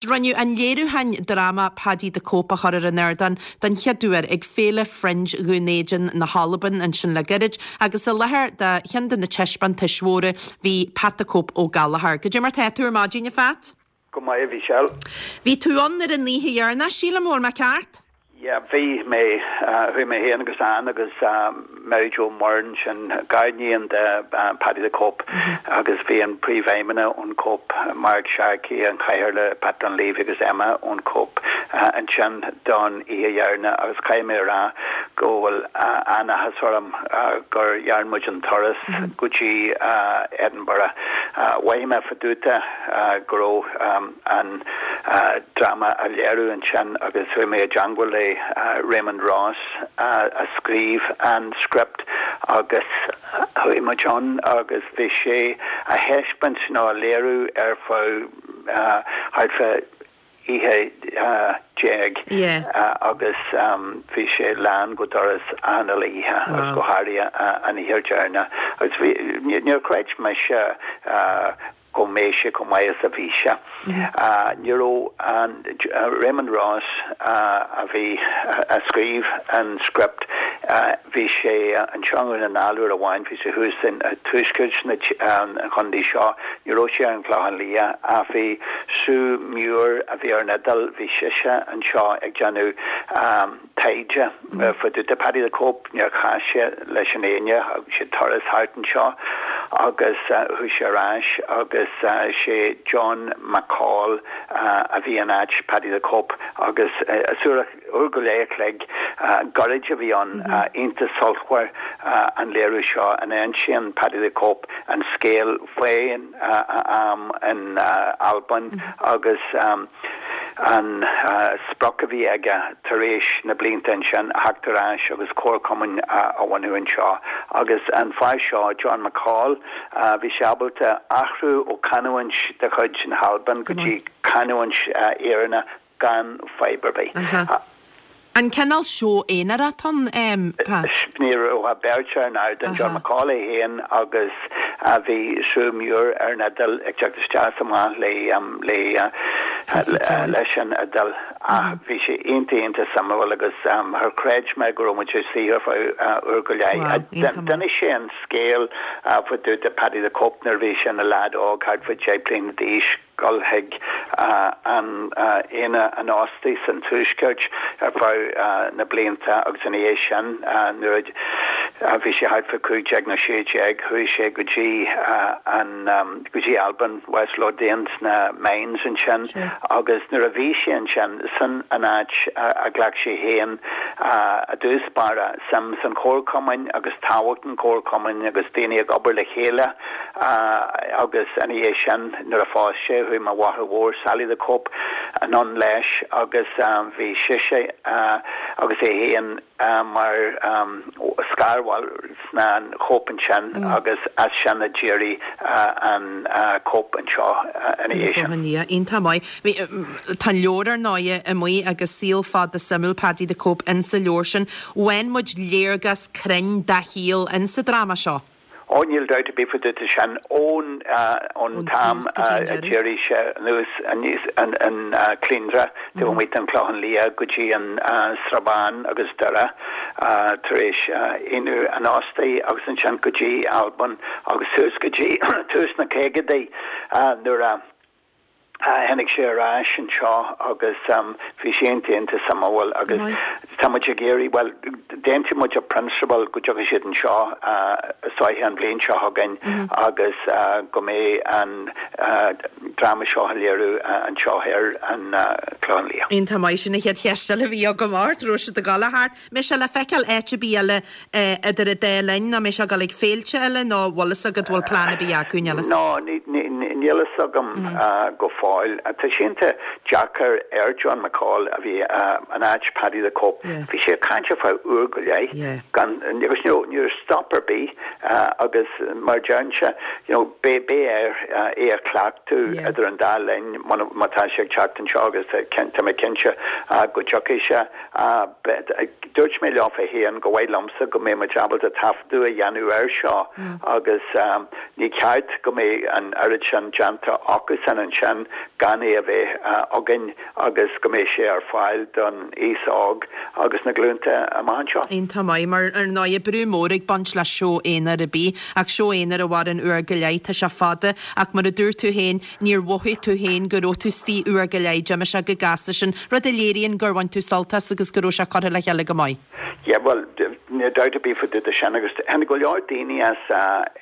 Rinneadh an léiriúchán dráma Paddy the Cope a chur ar an ardán den chéad uair ag Féile Fringe Dhún Éideann na hAlban ansin le gairid agus i láthair do cheann de na taispeántais mhóra bhí Pat the Cope Ó Gallchóir. Goidé mar tá tú ar maidin, a Phat? Go maith, a Mhichelle. Bhí tú ann ar an oíche dheireanach, sílim, an bhfuil mé ceart? Yeah, bhí mé, chuaigh mé féin agus Ann agus Mary Jo Murrin, sin gariníon de Paddy the Cope agus bhí an príomhfheidhmeannach ón Cope, Mark Sharkey, an cathaoirleach Pat Dunleavy agus Emma ón Cope ansin don oíche dheireanach agus caithfidh mé a rá go bhfuil an-áthas orm gur dhearn muid an turas go dtí Edinburgh. Mhothaigh mé fá dtaobh de go raibh an dráma á léiriú ansin agus chuaigh mé i dteangmháil le Raymond Ross a scríobh an script agus chuaigh muid ann agus bhí sé á thaispeáint nó á léiriú ar feadh thart fá oíche déag agus bhí sé lán go doras achan uile oíche agus go háirithe an oíche dheireanach agus bhí níor chreid mise go mbeadh sé chomh maith is a bhí sé. Ní raibh an Raymond Ross a bhí a scríobh an script, bhí sé anseo i nDún na nGall uair amháin, bhí sé thuas in tuaisceart an chontae seo, ní raibh sé ar an Chlochán Liath ach bhí Sue Muir a bhí ar an fhidil, bhí sise anseo ag déanamh taighde fá dtaobh de Paddy the Cope, níor chas sé leis an éinne, thug sé turas thart anseo agus chuaigh sé ar ais agus sé John McCall a bhí in áit Paddy the Cope agus is uair uair go leith a chloig gairid a bhí ann, iontach sultmhar an léiriú seo ina insíonn Paddy the Cope an scéal faoin am in Albain agus an sprioc a bhí aige tar éis na blianta ansin a theacht ar ais agus comharchumann a bhunú anseo. Agus an fear seo, John McCall, bhí sé ábalta athrú ó chanúint de chuid na hAlban go dtí canúint Éireannach gan fadhb ar bith. An cineál seó aonair atá ann, Pat? Ní raibh ach beirt ar an ardán, John McCall é féin agus bhí Sue Muir ar an fhidil ag teacht isteach is amach le leis an fhidil ach bhí sé iontach iontach suimiúil agus char chreid mé go raibh muid ag suí ar feadh uair go leith. D'inis sé an scéal fá dtaobh de Paddy the Cope nuair a bhí sé ina leaid óg thart fá 10 bliana d'aois. dul chuig an Aonach an Óstaigh san Tuaisceart ar feadh na blianta agus ina dhiaidh sin nuair a bhí sé thart fá 15 nó 16 chuaigh sé go dtí an go dtí Albain, West Lothian sna mines ansin agus nuair a bhí sé ansin sin an áit a ghlac sé féin i dtús báire suim san chomharchumainn agus tábhacht an chomharchumainn agus daoine ag obair le chéile agus ina dhiaidh sin nuair a phós sé chuaigh mo mháthair mhór Sally the Cope anonn leis agus bhí sise agus é féin mar scarbhaill sna Cope ansin agus as sin a d'éirigh an Cope anseo ina dhiaidh sin. Iontach maith. Tá an leabhar ar ndóighe amuigh agus saol fada suimiúil Paddy the Cope insa leabhar sin. Faigheann muid léargas cruinn dá shaol insa dráma seo. Ó níl dabht ar bith fá dtaobh de sin ón ón t-am a d'éirigh sé anuas aníos an an Clindre taobh amuigh den Chlochán Liath go dtí an Srath Bán agus Doire tar éis Aonach an Óstaigh agus ansin go dtí Albain agus suas go dtí tús na caogaidí nuair a Tháinig sé ar ais anseo agus bhí sé iontach iontach suimiúil agus tá muid ag iarraidh, bhuel, d'aontaigh muid i bprionsabal go dtiocfaidh siad anseo is dóiche an bhliain seo chugainn agus go mbeidh an dráma seo á léiriú anseo ar an Chlochán Liath. Iontach maith, sin an chéad cheist eile a bhí agam ort, raibh siad ag dul a theacht. Mbeidh sé le feiceáil áit ar bith eile idir an dá linn nó mbeidh sé ag dul ag féilte eile nó bhfuil fhios agat bhfuil plean ar bith acu níl fhios. No, níl fhios agam go fóill. Tá sé iontach deacair ar John McCall a bhí in áit Paddy the Cope. Bhí sé ag caint ar feadh uair go leith gan, agus ní raibh stop ar bith agus mar a deirimse, you know, beidh air é a chleachtadh idir an dá linn má tá sé ag teacht anseo agus tá mé cinnte go dtiocfaidh sé. Dúirt mé leofa féin go mhaith liomsa go mbeidh muid ábalta taifeadadh a dhéanamh air seo agus ní ceart go mbeidh an oiread sin déanta acusan ansin gan é a bheith againn agus go mbeidh sé ar fáil don aos óg agus na glúnta amach anseo. Iontach maith, mar ar ndóigh brú mór ag baint le seó aonair ar bith, ach seó aonair a mhaireann uair go leith, tá sé fada, ach mar a dúirt tú féin, níor mhothaigh tú féin go raibh tú istigh uair go leith, d'imigh sé go gasta sin, rud a léiríonn gur bhain tú sult as agus go raibh sé curtha le chéile go maith. Yeah, bhuel, níl dabht ar bith fá dtaobh de sin agus tháinig go leor daoine as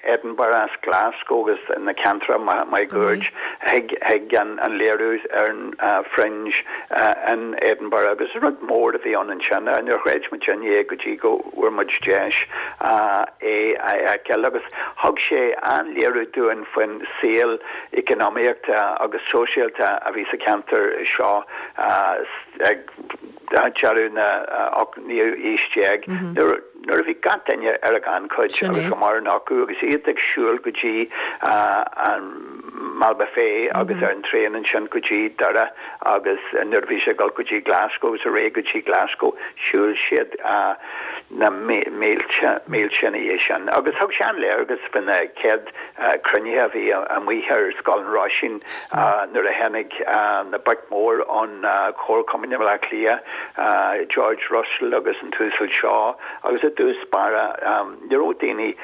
Edinburgh, as Glasgow agus na ceantracha máguaird chuig chuig an léiriú ar an Fringe in Edinburgh agus rud mór a bhí ann ansin. Níor chreid muidinne é go dtí go bhfuair muid deis é a fheiceáil agus thug sé an-léiriú dúinn faoin saol eacnamaíochta agus sóisialta a bhí sa cheantar seo ag deireadh na naoú haois déag nuair nuair a bhí gach duine ar a ghannchuid agus go mórán acu agus iad ag siúl go dtí an Mall Buffet agus ar an traein ansin go dtí Doire agus nuair a bhí sé ag dul go dtí Glasgow agus ar aghaidh go dtí Glasgow, shiúil siad na mílte, mílte ina dhiaidh sin. Agus thug sé an-léargas faoi na chéad cruinnithe a bhí amuigh ar Scoil an Roisín nuair a tháinig na boic mhór ón Chomharchumann i mBleá Cliath, George Russell agus an tUasal Shaw, agus i dtús báire ní raibh daoine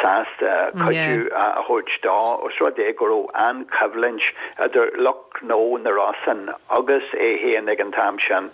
sásta cuidiú a thabhairt dó, os rud é go raibh an-choimhlint idir lucht gnó na Rosann agus é féin ag an t-am sin.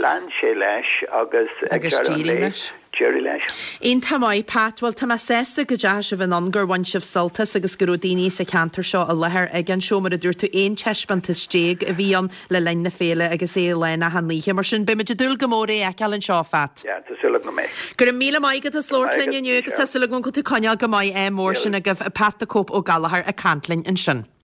Lean sé leis agus ag deireadh an lae, d'éirigh leis. Iontach maith, Pat. Bhuel, tá mé sásta go dteachaigh sibh anonn, gur bhain sibh sult as agus go raibh daoine sa cheantar seo i láthair ag an seó. Mar a dúirt tú, 11 taispeántas a bhí ann le linn na féile agus é lán achan oíche. Mar sin, beimid ag dúil go mór é a fheiceáil anseo, a Phat. Yeah, tá súil agam go mbeidh. Go raibh míle maith agat as labhairt linn inniu agus tá súil agam go bhfuil tú ag coinneáil go maith. Ádh mór sin agaibh. Pat 'The Cope' Ó Gallchóir ag caint linn ansin.